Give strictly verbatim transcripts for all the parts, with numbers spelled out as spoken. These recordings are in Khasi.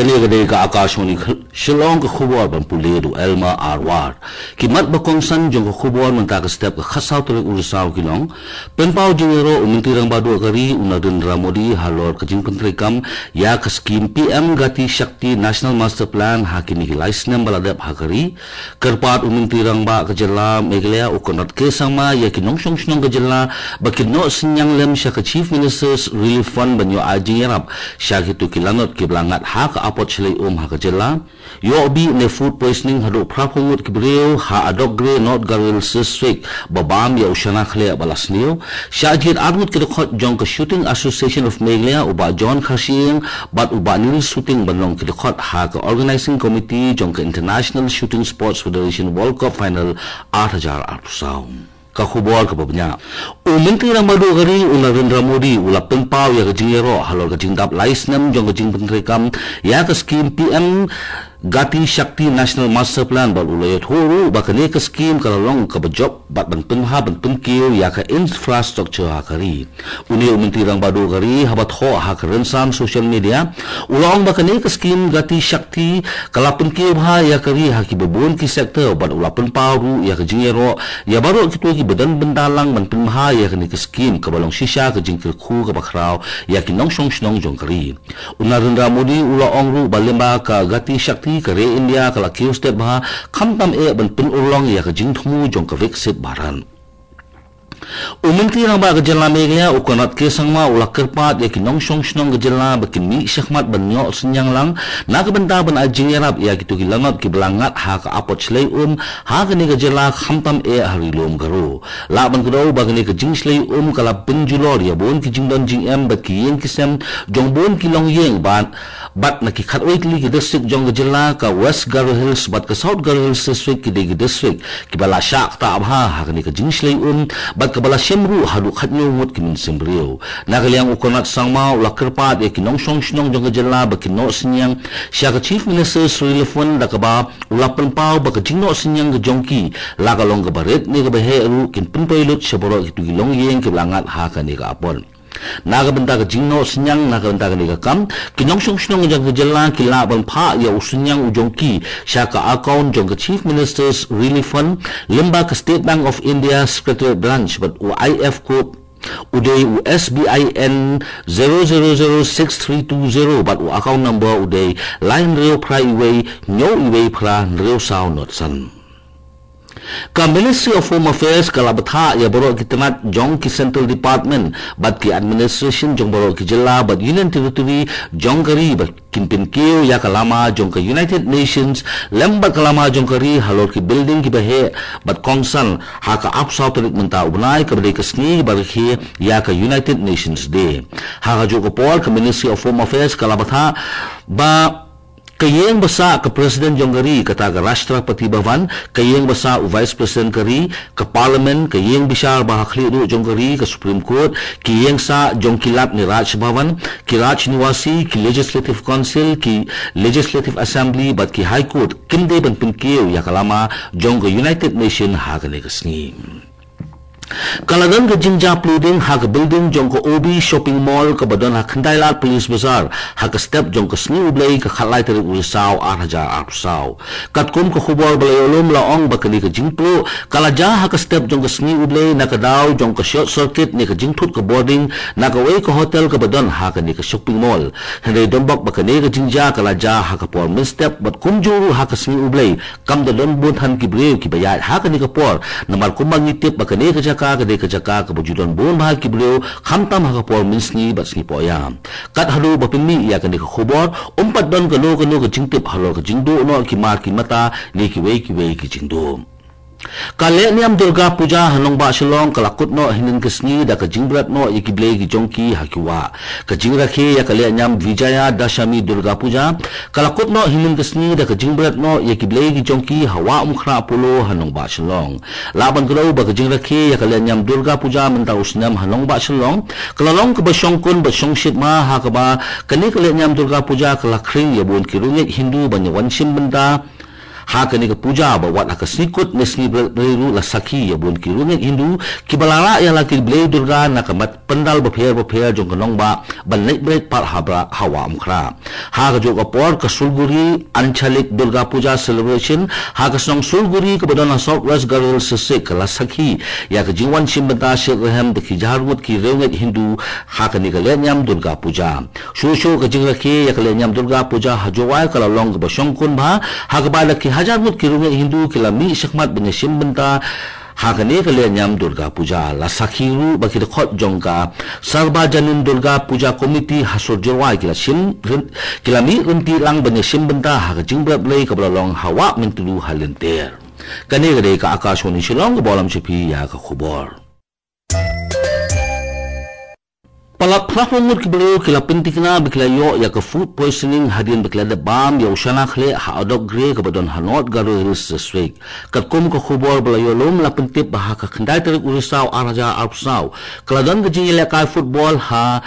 Kane ka dei ka Akashvani Shillong, ka khubor ban pule da u Elma Arwar. Ki mat ba kongsan jong ka khubor mynta ka step ka khatsaw tarik u Risaw ki long: Pynpaw jingïaroh u Myntri Rangbah Duh ka ri u Narendra Modi halor ka jingpyntreikam ïa ka skim P M Gati Shakti National Master Plan ha kine ki lai snem ba la dep ha ka ri. Kyrpad u Myntri Rangbah ka jylla Meghalaya u Conrad K Sangma ïa ki nongshong shnong ka jylla ba kin noh synñiang lem sha ka Chief Minister's Relief Fund ban ïoh ai jingïarap sha kito ki lanot kiba la ngat ha ka apot shlei um ha ka jylla. Ïoh bih ne food poisoning haduh phra phew ngut ki briew ha Adokgre, North Garo Hills District, ba bam ïa u shana khleh ba la sniew. Shah jied ar ngut ki dkhot jong ka Shooting Association of Meghalaya, u Bah John Kharshiing bad u Bah Neil Suting, ban long ki dkhot ha ka Organising Committee jong ka International Shooting Sports Federation World Cup Final ar hajar arphew saw. Ka khubor kaba bniah. U Myntri Rangbah Duh ka ri u Narendra Modi u la pynpaw ïa ka jingïaroh halor ka jingdap lai snem jong ka jingpyntreikam ïa ka skim P M Gati Shakti National Master Plan, bad u la ïathuh ruh ba kane ka skim ka la long kaba jop bad ban pynbha ban pynkiew ïa ka infrastructure ha ka ri. Une u Myntri Rangbah Duh ka ri, haba thoh ha ka rynsan social media, u la ong ba kane ka skim Gati Shakti ka la pynkiew bha ïa ka ri ha kiba bun ki sector, bad u la pynpaw ruh ïa ka jingïaroh ïa baroh kito kiba don bynta lang ban pynbha ïa kane ka skim kaba long shisha ka jingkyrkhu kaba khraw ïa ki nongshong shnong jong ka ri. U Narendra Modi u la ong ruh ba lyngba ka Gati Shakti, ka ri India ka la kiew stet bha, khamtam eh ban pynurlong ïa ka jingthmu jong ka Viksit Bharat. U Myntri Rangbah ka jylla Meghalaya u Conrad K Sangma u la kyrpad ïa ki nongshong shnong ka jylla ba kin mih shakhmat ban ïoh synñiang lang na ka bynta ban ai jingïarap ïa kito ki lanot kiba la ngat ha ka apot shlei um ha kane ka jylla, khamtam eh ha Ri Lum Garo. Lah ban kdew ba kane ka jingshlei um ka la pynjulor ïa bun ki jingdon jingem bad ki ïing ki sem jong bun ki longïing bad, bad na ki khatwei tylli ki district jong ka jylla, ka West Garo Hills bad ka South Garo Hills District ki dei ki district kiba la shah ktah bha ha kane ka jingshlei um, bad kaba la shim ruh haduh khathynñiew ngut ki mynsiem briew. Na ka liang u Conrad Sangma u la kyrpad ïa ki nongshong shnong jong ka jylla ba kin noh synñiang sha ka Chief Minister's Relief Fund, da kaba u la pynpaw ba ka jingnoh synñiang ka jong ki, la ka long kaba rit ne kaba heh ruh, kin pynpoi lut sha baroh kito ki longïing kiba la ngat ha kane ka apot. Na ka bynta ka jingnoh synñiang na ka bynta kane ka kam, ki nongshong shnong jong ka jylla ki lah ban phah ïa u synñiang u jong ki sha ka account jong ka Chief Minister's Relief Fund lyngba ka State Bank of India Secretariat Branch, bad u I F F code u dei u S B I N zero zero zero six three two zero, bad u account number u dei lai hynriew phra wei hynñiew wei phra hynriew saw nod san. Ka Ministry of Home Affairs ka la bthah ïa baroh ki tnat jong ki Central Department bad ki administration jong baroh ki jylla bad Union Territory jong ka ri ba kin pynkiew ïa ka lama jong ka United Nations lem bad ka lama jong ka ri halor ki building kiba heh bad kongsan ha ka arphew saw tarik mynta u bnai, kaba dei ka sngi ba rakhe ïa ka United Nations Day. Ha kajuh ka por, ka Ministry of Home Affairs ka la bthah ba ka ïing ba sah ka President jong ka ri, kata ka Rashtrapati Bhavan, ka ïing ba sah u Vice President ka ri, ka Parliament, ka ïing bishar ba ha khlieh duh jong ka ri, ka Supreme Court, ki ïing sah jong ki lad ne Raj Bhavan, ki Raj Nivasi, ki Legislative Council, ki Legislative Assembly bad ki High Court kin dei ban pynkiew ïa ka lama jong ka United Nation ha kane ka sngi. Ka la don ka jingjia plooding ha ka building jong ka O B Shopping Mall kaba don ha Khyndailad Police Bazar ha ka step jong ka sngi U Blei, ka khatlai tarik u Risaw ar hajar arphew saw. Katkum ka khubor ba la ïoh lum, la ong ba kane ka jingpluh ka la jia ha ka step jong ka sngi U Blei na ka daw jong ka short circuit ne ka jingthut ka boarding na kawei ka hotel kaba don ha kane ka shopping mall. Hynrei donbok ba kane ka jingjia ka la jia ha ka por mynstep bad kumjuh ruh ha ka sngi U Blei, kam da don bun than ki briew kiba ïaid ha kane ka por, namar kumba ngi tip ba kane ka jaka ka dei ka jaka kaba ju don bun bha ki briew, khamtam ha ka por mynsngi bad sngi pohïa. Kat haduh ba pynmih ïa kane ka khubor, ym pat don kano kano ka jingtip halor ka jingduh noh ki mar ki mata ne kiwei kiwei ki jingduh. Ka lehniam Durga Puja ha nongbah Shillong ka la kut noh hynnin ka sngi da ka jingbret noh ïa ki blei ki jong ki ha ki wah. Ka jingrakhe ïa ka lehniam Vijaya Dashami Durga Puja ka la kut noh hynnin ka sngi da ka jingbret noh ïa ki blei ki jong ki ha Wah Umkhrah Polo ha nongbah Shillong. Lah ban kdew ba ka jingrakhe ïa ka lehniam Durga Puja mynta u snem ha nongbah Shillong ka la long kaba shongkun bad shongshit ma, ha kaba kane ka lehniam Durga Puja ka la khring ïa bun ki riewngeit Hindu ban ïa wan shim bynta Ha kane ka puja ba wat ha ka sngi kut ne sngi Blei ruh la sakhi ïa bun ki riewngeit Hindu kiba la rah ïa la ki blei Durga na ka mat pandal bapher bapher jong ka nongbah ban leit bret pat ha Wah Umkhrah. Ha kajuh ka por ka Sulguri Anchalik Durga Puja Celebration ha ka shnong Sulguri kaba don ha South West Garo Hills District ka la sakhi ïa ka jingwan shim bynta shitrhem da ki hajar ngut ki riewngeit Hindu ha kane ka lehniam Durga Puja. Shuh shuh ka jingrakhe ïa ka lehniam Durga Puja ha Jowai ka la long kaba shongkun bha ha kaba da ki hajar ngut ki riewngeit Hindu ki la mih shakhmat ban ïashim bynta ha kane ka lehniam Durga Puja. La sakhi ruh ba ki dkhot jong ka Sarbajanin Durga Puja Committee ha sor Jowai ki la shim ki la mih ryntih lang ban ïashim bynta ha ka jingbarit Blei kaba la long ha Wah Myntdu ha lynter. Kane ka dei ka Akashvani Shillong kaba lam sha phi ïa ka khubor. Palat phra phew ngut ki briew ki la pynthikna ba ki la ïoh ïa ka food poisoning hadien ba ki la dep bam ïa u shana khleh ha Adok Gre kaba don ha North Garo Hills District. Katkum ka khubor ba la ïoh lum la pyntip ba ha ka khyndai tarik u Risaw ar hajar arphew saw ka la don ka jingïalehkai football ha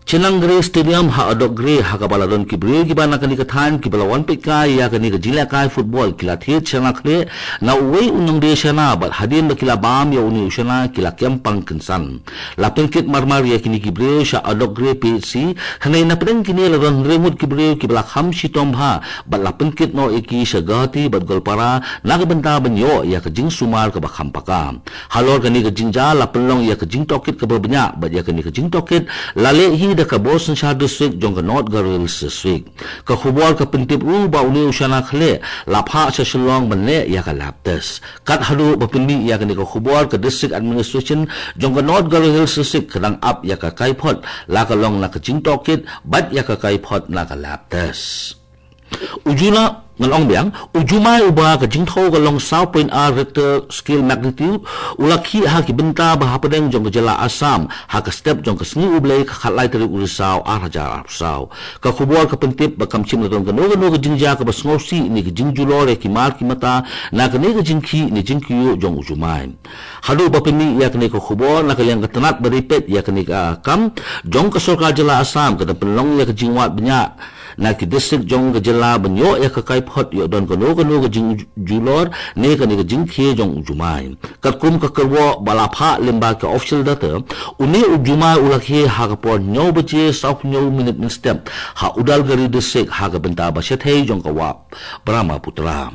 Chenangre Stadium ha Adok Gre ha kaba la don ki briew kiba na kane ka thaiñ kiba la wan peit kai ïa kane ka jingïalehkai football ki la thied shana khleh na uwei u nongdie shana bad hadien ba ki la bam ïa une u shana ki la kem pang kynsan. La pynkit marmar ïa kine ki briew sha Adok Gre P H C, hynrei na pdeng kine la don hynriew ngut ki briew kiba la kham shitom bha bad la pynkit noh ïa ki sha Guwahati bad Goalpara na ka bynta ban ïoh ïa ka jingsumar kaba kham paka. Halor kane ka jingjia la pynlong ïa ka jingtohkit kaba bniah bad ïa kane ka jingtohkit la leh hi da ka Bor Synshar District jong ka North Garo Hills District. Ka khubor ka pyntip ruh ba une u shana khleh la phah sha Shillong ban leh ïa ka lab test. Kat haduh ba pynmih ïa kane ka khubor ka District Administration jong ka North Garo Hills District ka dang ap ïa ka kaiphod la ka long na ka jingtohkit bad ïa ka kaiphod na ka lab test. U Juna ngan ong biang, u jumai uba ka jingthew ka long saw point ar Richter scale magnitude u la khih ha ki bynta ba hapdeng jong ka jylla Assam ha ka step jong ka sngi U Blei ka khatlai tarik u Risaw ar hajar arphew saw. Ka khubor ka pyntip ba kam shym la don kano kano ka jingjia kaba sngewsih ne ka jingjulor ïa ki mar ki mata na kane ka jingkhih ne jingkyiuh jong u jumai. Haduh ba pynmih ïa kane ka khubor na ka liang ka tnat ba dei peit ïa kane ka kam jong ka sorkar jylla Assam ka dang pynlong ïa ka jingwad bniah na ki district jong ka jylla ban ïoh ïa ka kaiphod ïoh don kano kano ka jingjulor ne kane ka jingkhie jong u jumai. Katkum ka kyrwoh ba la phah lyngba ka official data, une u jumai u la khie ha ka por hynñiew baje saw hynñiew minit mynstep ha Udalguri District ha ka bynta ba shathei jong ka Wah Brahmaputra.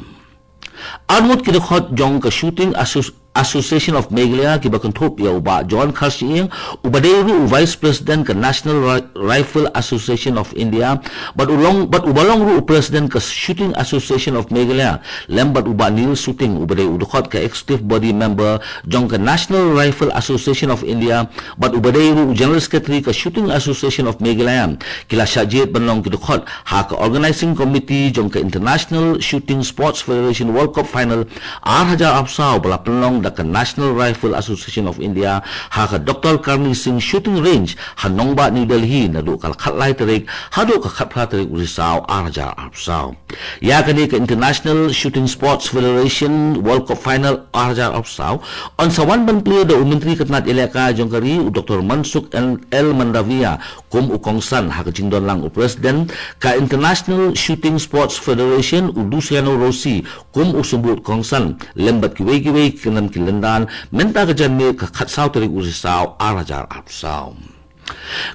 Arngut ki dkhot jong ka Shooting Associ- Association of Meghalaya kiba kynthup ïa u Bah John Kharshiing uba dei ruh u Vice President ka National Ri- Rifle Association of India bad u long bad uba long ruh u President ka Shooting Association of Meghalaya lem bad u Bah Neil Suting uba dei u dkhot ka Executive Body Member jong ka National Rifle Association of India bad uba dei ruh u General Secretary ka Shooting Association of Meghalaya ki la shah jied ban long ki dkhot ha ka Organizing Committee jong ka International Shooting Sports Federation World Cup Final ar hajar arphew saw ba la pynlong da ka National Rifle Association of India ha ka Doctor Karni Singh Shooting Range ha nongbah New Delhi naduh ka khatlai tarik haduh ka khatphra tarik u Risaw ar hajar arphew saw. Ïa kane ka International Shooting Sports Federation World Cup Final ar hajar arphew saw yn sa wan ban plie da u Myntri ka tnat ïalehkai jong ka ri u Doctor Mansukh L Mandaviya kum u kongsan ha ka jingdon lang u President ka International Shooting Sports Federation u Luciano Rossi kum u symbud kongsan lem bad kiwei kiwei ki khynnah ki lyndan mynta ka janmiet ka khatsaw tarik u Risaw ar hajar arphew saw.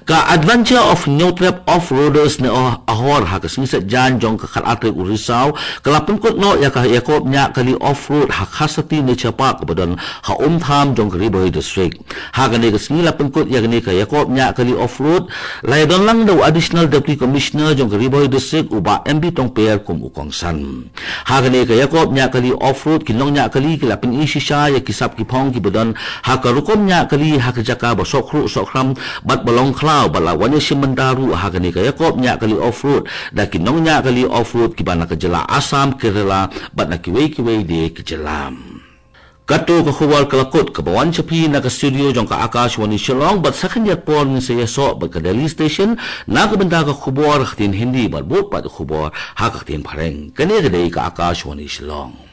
Ka Adventure of Hynñiewtrep Off-Roaders ne Ahor ha ka sngi Saitjaiñ jong ka khatar tarik u Risaw ka la pynkut noh ïa ka ïakob ñiah kali off-road ha Khasati Nature Park kaba don ha Umtham jong ka Ri Bhoi District. Ha kane ka sngi la pynkut ïa kane ka ïakob ñiah kali off-road la ïadon lang da u Additional Deputy Commissioner jong ka Ri Bhoi District u Bah M B Tongper kum u kongsan. Ha kane ka ïakob ñiah kali off-road ki nongñiah kali ki la pyni shisha ïa ki sap ki phong kiba don ha ka rukom ñiah kali ha ka jaka ba sohkhruh sohkhram bad ba long khlaw bad la wan ïashim bynta ruh ha kane ka ïakob ñiah kali off-road da ki nongñiah kali off-road kiba na ka jylla Assam, Kerala bad na kiwei kiwei de ki jylla. Kato ka khubor ka la kut kaba wan sha phi na ka studio jong ka Akashvani Shillong bad sa khyndiat por ngin sa ïasoh bad ka Delhi Station na ka bynta ka khubor ha ka ktien Hindi bad bud pat ka khubor ha ka ktien Phareng. Kane ka dei ka Akashvani Shillong.